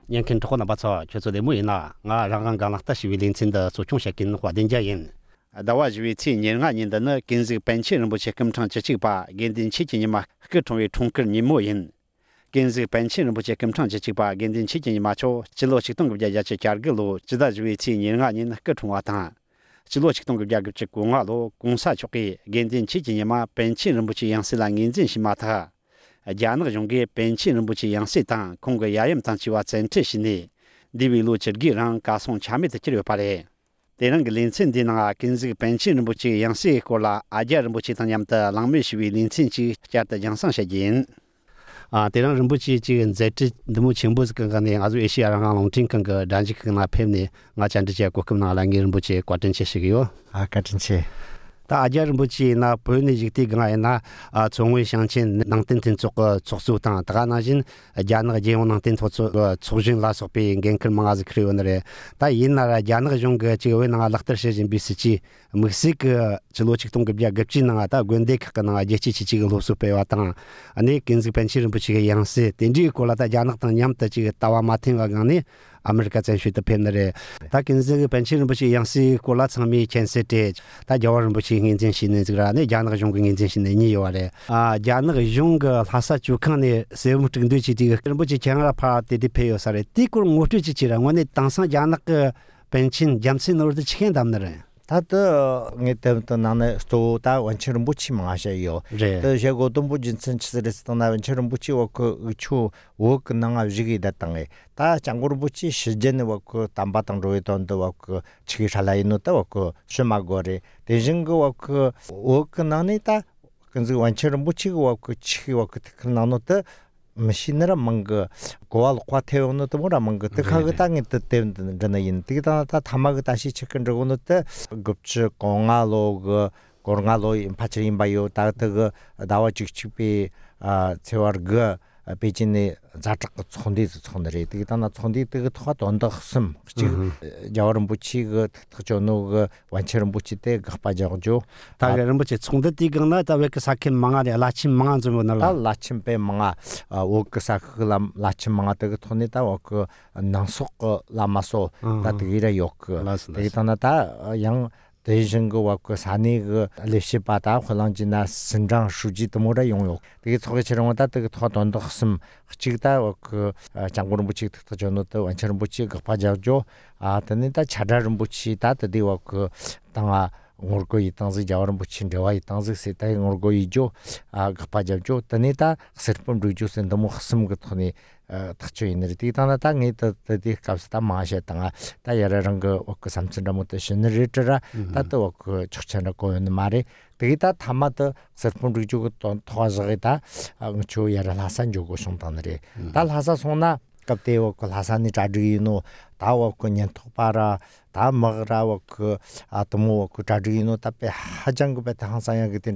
年肯托那巴操就做的木那啊让刚了但是为临近的做中学跟华定家人da wa ji ti nian nga nin da na gen zi ban chen bu che kam chang che chi ba gen din chi ni ma ge tong wei tong ker ni mo yin gen zi ban chen bu che kam chang che chi ba gen din chi ni ma cho chi lo chi tong ge ja che char ge lo ji da ji ti nian nga nin ge tong wa ta chi lo chi tong ge ja ge che gu nga lo gong sa cho ge gen din chi ni ma ban chen bu che yang si la ngin jin shi ma ta ja na jong ge ban chen bu che yang si ta kong ge ya yam tang chi wa zen che shi ni di wi lo che gi rang ka song cha me de chi le pa le 대랑 린친 디나가 긴지 벤치는 부치 양시 콜라 아자는 부치 당냠다 랑메시위 린친치 자다 양상샤진 아 대랑 림부치 지금 제트 너무 칭부스 건가네 아주 에시아랑 롱팅 건가 단지 건나 팸네 nga chanti che ko kumna la ngir buchi kwatin che sigyo 아 같은치 ta ajar buchi na poyni jikti ga na chongwe shangchen nangten ten chok choksu ta ta na jin janag je won nangten chojin la sopi genkel mangaz kriwonre ta yin na janag jong ge che we na lakhtar shejin bisichi mexic chilo chiktung ge bya gapchi na ta gwende ka na je chi chi lo so pe wa ta ani kinzi penchir buchi ge yangse tenji ko la ta janag ta nyam ta chi tawa matin ga ni 아메리카 전시도 팬들에 다 긴즈 벤치는 부시 양시 콜라 참미 첸세테 다 저원 부시 인진신은 저라네 자나가 종 인진신은 니요래 아 자나가 종가 하사 주칸에 세무트근도치 디가 그런 부시 장라 파티디 페요사레 티kur 모트치 치랑 원에 당상 자나가 벤친 잠신으로도 치킨 담너래 다도 네때부터 나는 스토다 원처럼 붙이 마셔요. 또 제가 동부 진천치스레스 나 원처럼 붙이 워크 의추 워크 나가 위기 됐당에 다 장고로 붙이 시전에 워크 담바당 로이던도 워크 치기 살아있노다 워크 슈마고레 대진거 워크 나니다 근데 원처럼 붙이고 워크 치기 워크 나노다 machine mang goal quateo to mora mang te khag tang te den yin ti ta tamag ta shi check ro no te gupch konga log kornga lo in pachrin bayo ta te dawa chik chipi chewar ga pejine zatak chondi chondre ti ta na chondi te thwa don da khsum chi jawarum buchi ga tjono ga wancherum buchi te gpa jagjo ta ga rum buchi chongde ti ga na ta we ka sakhin manga de lachim manga zum na la lachim pe manga wo ka saklam lachim manga te thoni ta wo ka nangsok lamaso ta te ira yok te ta na ta yang 대신거 왔고 산이 그 레시바다 홀랑지나 선장 수지 도모라 용역 되게 저게 저런 거다 되게 더 돈도 없음 지다 그 장고는 부치 더 전도 완처럼 부치 급하자죠 아 근데 차다른 부치 다 되고 그 당아 ngorgo itangzi jawaram buchin dewa itangzi setai ngorgo ijo gpajajo tanita serpum ruju sendamo khsum gthoni thacho inri titana ta ngi ta ti kapsta maasha tanga ta yararang ok samchinda mot generator ta to ok chchana koyon mare tita thamata serpum ruju go thwajagita ngcho yaralasan jogo sontanre tal hasa sona kapteo ko hasani chadrino tawo ko nyantopara 다 먹으라고 그 아토모 그 자주이노 답에 하장고 베타 항상야 그때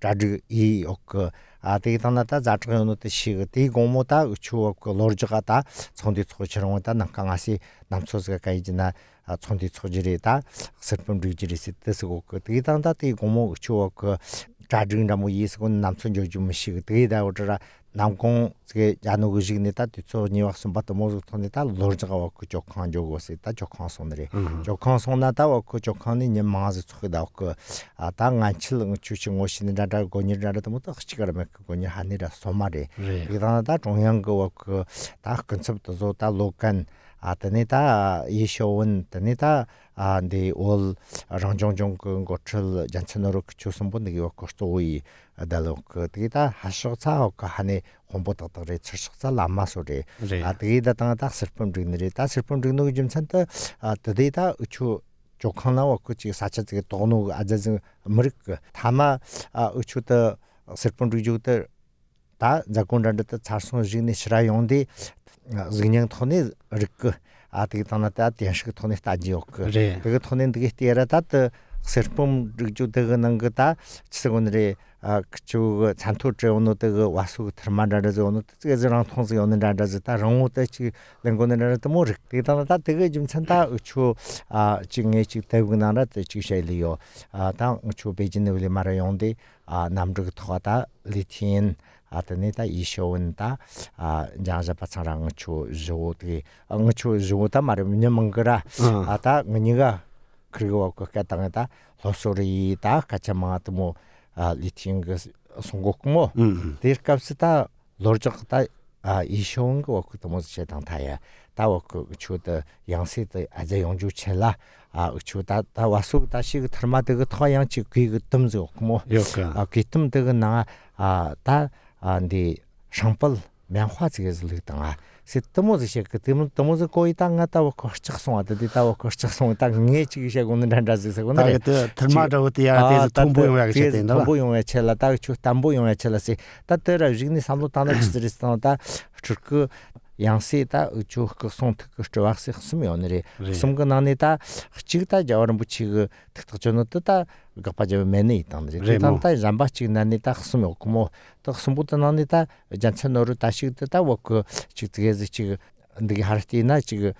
자주 이그 아데이터나다 자트고노 뜻이 그 고모다 우추 그 로르즈가다 손디 초처럼다 남강아시 남초스가 가이지나 손디 초지리다 슬픔 리지리스 뜻고 그 데이터나다 이 고모 우추 그 자주인다 뭐 이스고 남촌 조좀 시 데이다 오더라 남공 그 야노그직네다 뒤초 니왁슨 바도 모두 토네다 로르즈가 그 조칸 조고스다 조칸 손들이 조칸 손나다 그 조칸이 녀마즈 초다 그 당안칠 추칭 오시는 자다 고니라도 못 확치가면 그거니 하니라 소마리 이다나다 중요한 그다 컨셉도 좋다 로칸 아테네다 이쇼원 테네다 네 올 랑종종 그 거출 잔천으로 추선 분들이 거스토이 달록 그다 하셔서 하네 공부도들이 철석사 남마소리 아디다 땅다 슬픔 드리느리 다 슬픔 드리는 좀 산다 드디다 우추 조칸나와 그치 사차지게 도노 아자즈 머릭 타마 우추다 슬픔 드리주다 다 자군단다 차송지니 시라용디 그냥 토네 릭 아디다나다 대식 토네 따지옥 그 토네 되게 티에라다 슬픔 르주되는 거다 지금들이 그쪽 잔토제 오늘도 와수 들만라서 오늘 뜨게저랑 통수 오는 라라서 다 롱우도 지 랭고는라도 뭐 되다다 되게 좀 찬다 우추 지금에 지 대구나라 지셔리요 당 우추 베이징에 우리 말아용데 남르 토하다 리틴 아테네다 이쇼운다 자자파차랑 추 조디 응추 조다 말이면 뭔가라 아다 은이가 그리고 그 땅에다 로소리다 같이 막도 뭐 리팅 그 송곡모 데르캅스타 로적다 이쇼운 거 그것도 뭐 제당 타야 다워 그 추의 양세의 아재 용주체라 추다 다 와수 다시 그 들마드 그 토양치 그 뜸죠 뭐 그 나 다 안디 상벌 명화지에서 땅아 세트모즈시 그 때문에 거의 땅 갔다 오고 거쳐송하다 되다 오고 거쳐송 땅 ኘ치기 오는 단자에서 오늘 들마저야 돼서 통보용하게 된다. 통보용에 첼라 딱 담보용에 첼라시 따따라 지금 삼도 단을 지스리스다 그 양세다 우주 그 송특 그 저학생 쓰면 오늘이 숨근안에다 지금다 저런 붙이 그 특정은 뜻다 그 빠져 매네 있던데 일단다 잠바치 난에다 쓰면 없고 뭐또 숨부터 난에다 잔천으로 다시 뜻다 그 지금 지금 근데 할티나 지금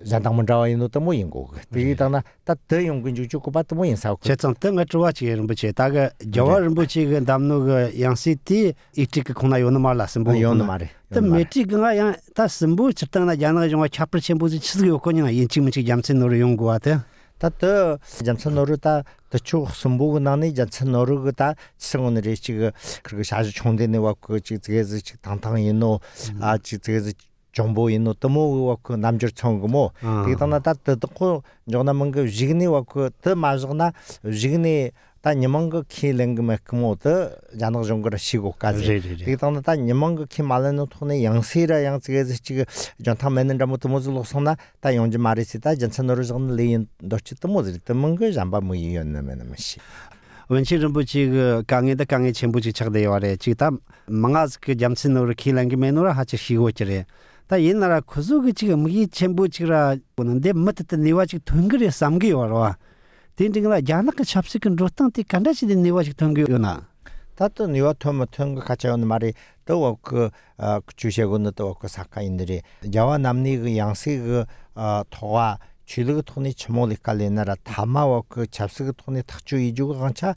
자당문자와 인도도 뭐 인고 비다나 따더 용근 주고 받도 뭐 인사고 제정 등가 좋아지는 부치 다가 저와는 부치 그 담노가 양시티 이티크 코나 요는 말라스 뭐 요는 말에 또 메티가 양다 심부 쳤다나 야나가 좀 차플 쳔부지 치스고 거니나 인치문치 잠센노로 용고하다 따더 잠센노르다 더추 숨부고 나니 잠센노르다 치성오늘이 지금 그리고 아주 총대네 왔고 지금 당당 인노 지금 정보 있는 또뭐 그 남절 청고 되다나 다 듣고 저나면 그 지근이 왔고 더 맞으나 지근이 다 님은 그 키랭금에 그모도 자는 정거를 시고까지 되다나 다 님은 그 키말는 통에 양세라 양세에서 지금 전타 맨는 잘못 모질로 손나 다 용지 말이시다 전천으로 좀 레인 도치도 모질 때문 그 잠바 뭐 이었냐면 씨 원치는 부치 그 강에다 강에 전부지 착대요래 지금 망아스 그 잠신으로 키랭금에노라 하치 시고치래 다 옛날에 고수가 지금 이 전부지라 보는데 멋도 네와지 동그리 삼기 와라 딘딩라 야나가 찹스킨 로탄티 간다시된 네와지 동기요나 다또 네와 토마토 거 같이 오는 말이 또그 주셰고는 또그 사카인들이 야와 남니 그 양세 그 토와 줄그 돈이 처모리 깔리나라 다마와 그 잡스그 돈이 탁주 이주가 간차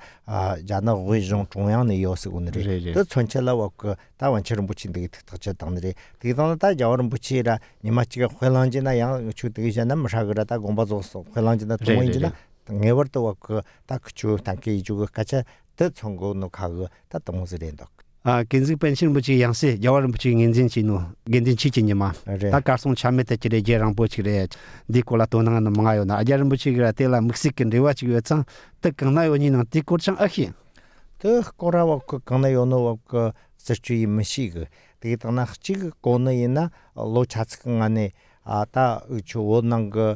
자나 의정 중앙의 요소군들이 또 전체라와 그 다원처럼 붙인데 특특적 당들이 뒤도는 다 여름 붙이라 니마치가 회란지나 양 주되잖아 뭐라그라다 공부조서 회란지나 동인지나 네버도 그딱주 단계 이주가 같이 더 청고노 가고 다 동무스랜다 긴지 펜션 부치 양세 여름 부치 인진치노 겐진 치치니마 다 가송 참메테 지레제랑 부치레 디콜라 토나는 망아요나 아자름 부치가 텔라 멕시칸 리와치가 특강나요니나 디콜창 아히 더 코라와 그 강나요노 그 서치 미시그 디타나 치그 고나이나 로차츠강 안에 다 주원난 그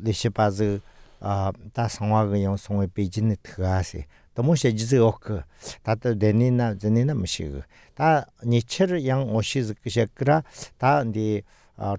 리시바즈 다 상화가 영송의 베이징에 들어가시 너무 세지어 그 다들 내니나 전이나 뭐시고 다 니체를 양 오시즈 그셔그라 다디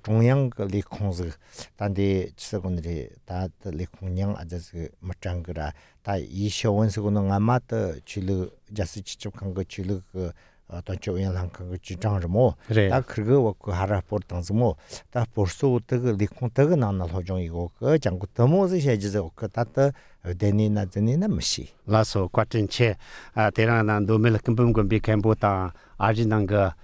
중앙 그 리콩즈 단디 지서군들이 다 리콩냥 아저스 멋장그라 다 이쇼원스고는 아마도 줄을 자스 직접한 거 줄을 그 어떤쪽 연락한 거 주장을 뭐다 그거 그 하라 포르탄스 뭐다 벌써 그 리콩트가 나나 호종이고 그 장고 더모스 해지서 그 다다 데니나 데니나 무시 라소 과튼체 대라난 도멜 금금금 비캠보다 아진난가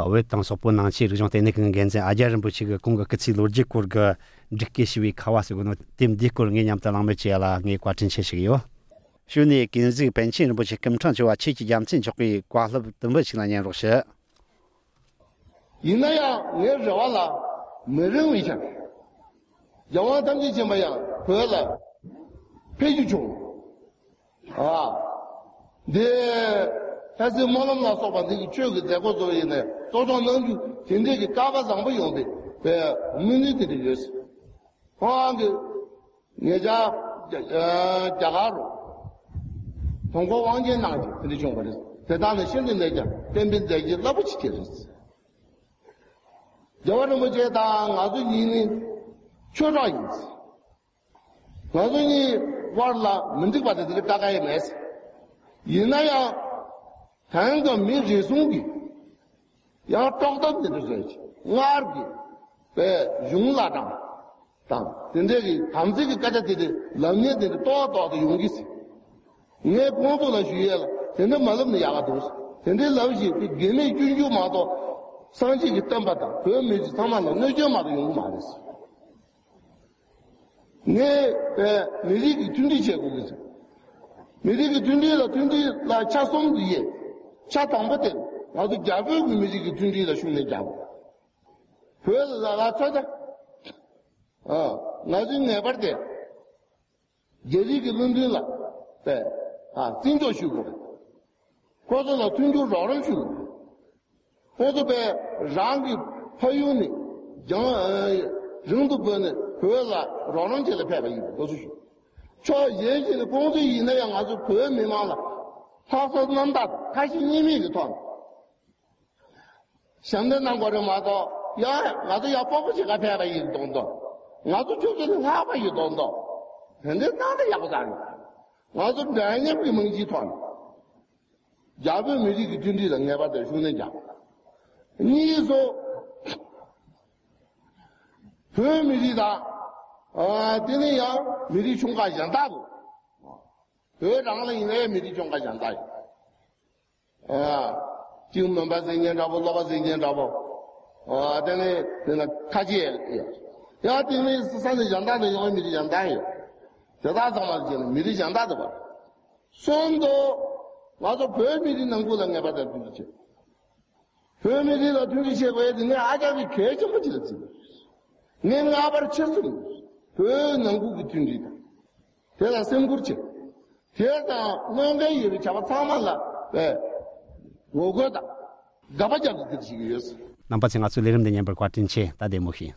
외땅 소포난 시르종 테네킹 겐제 아자른 부치가 공가 끝이 로직고가 직계시위 카와스고노 팀 디코르 냠탈랑메치야라 니 과튼체시요 슈니 긴지 벤친 부치 금창지와 치지 잠진 적이 과럽 등버치라냐 로시 이나야 내 저와라 메르위샤 영화 담지 제마야 벌라 페이주종 네 사실 몰람나 소반데 저거 되고 저이네 조정는 진짜게 까바상 뭐 용데 배 미니들이스 황그 내자 자가로 통과 왕전 나지 근데 좀 그래 대단한 신들 내자 뱀뱀대지 러브치티스 저는 뭐 제다 아주 니는 초라인스 나중에 warla mendik ba de ka ga mes yina ya han ga mi ji sung gi ya tong da de de ngar gi be yung la dang den de gi tam ji gi ga ja de lam ne de to de yung gi si ne gong bu la xu ye la den de ma le ne ya ga do den de lao ji ge ne ju ju ma do sang ji gi dan ba da be me ji ta ma la ne ju ma de yung ma de si ne 미리 둔디 제국이죠. 미리 둔디라 차송디에 차 당버데 나도 잡을 미리 둔디라 슈네 잡. 그래서 나 찾아. 나중에 버데 제리 둔디라 네. 진조 슈고. 거기서 둔조 러런 슈고. 거기서 랑기 파유니 정 정도 번에 그거가 로런제를 패버리고 도주시 저 예지의 공주 이내양 아주 그 미망了他说난다 다시 이미를 돈 상대난 거를 마도 야 나도 야 뽑으시가 패버리 돈도 나도 저기는 사바이 돈도 근데 나도 야고자리 나도 내년 비명지 돈 야베 미리 기준리를 내가 될 수는 자 니서 그 미리다 되네야 미리 총가 장다고 그 장은 이내 미리 총가 장다 지금 넘바 생년 잡고 로바 생년 잡고 되네 내가 가지 야 되네 산에 장다도 요 미리 장다요 저다 정말 미리 장다도 봐 손도 와서 별 미리 능구를 내 받아 주지 별 미리도 주기 최고에 되네 아자비 개좀 지었지 내가 아바를 쳤어. 그 능국이 든지다. 대다 생구르지. 대다 뭔가 일을 잡아 사만라. 네. 오거다. 가바자도 드시기였어. 남바칭아 술레름 되냐 벌 과tinche 다데모히.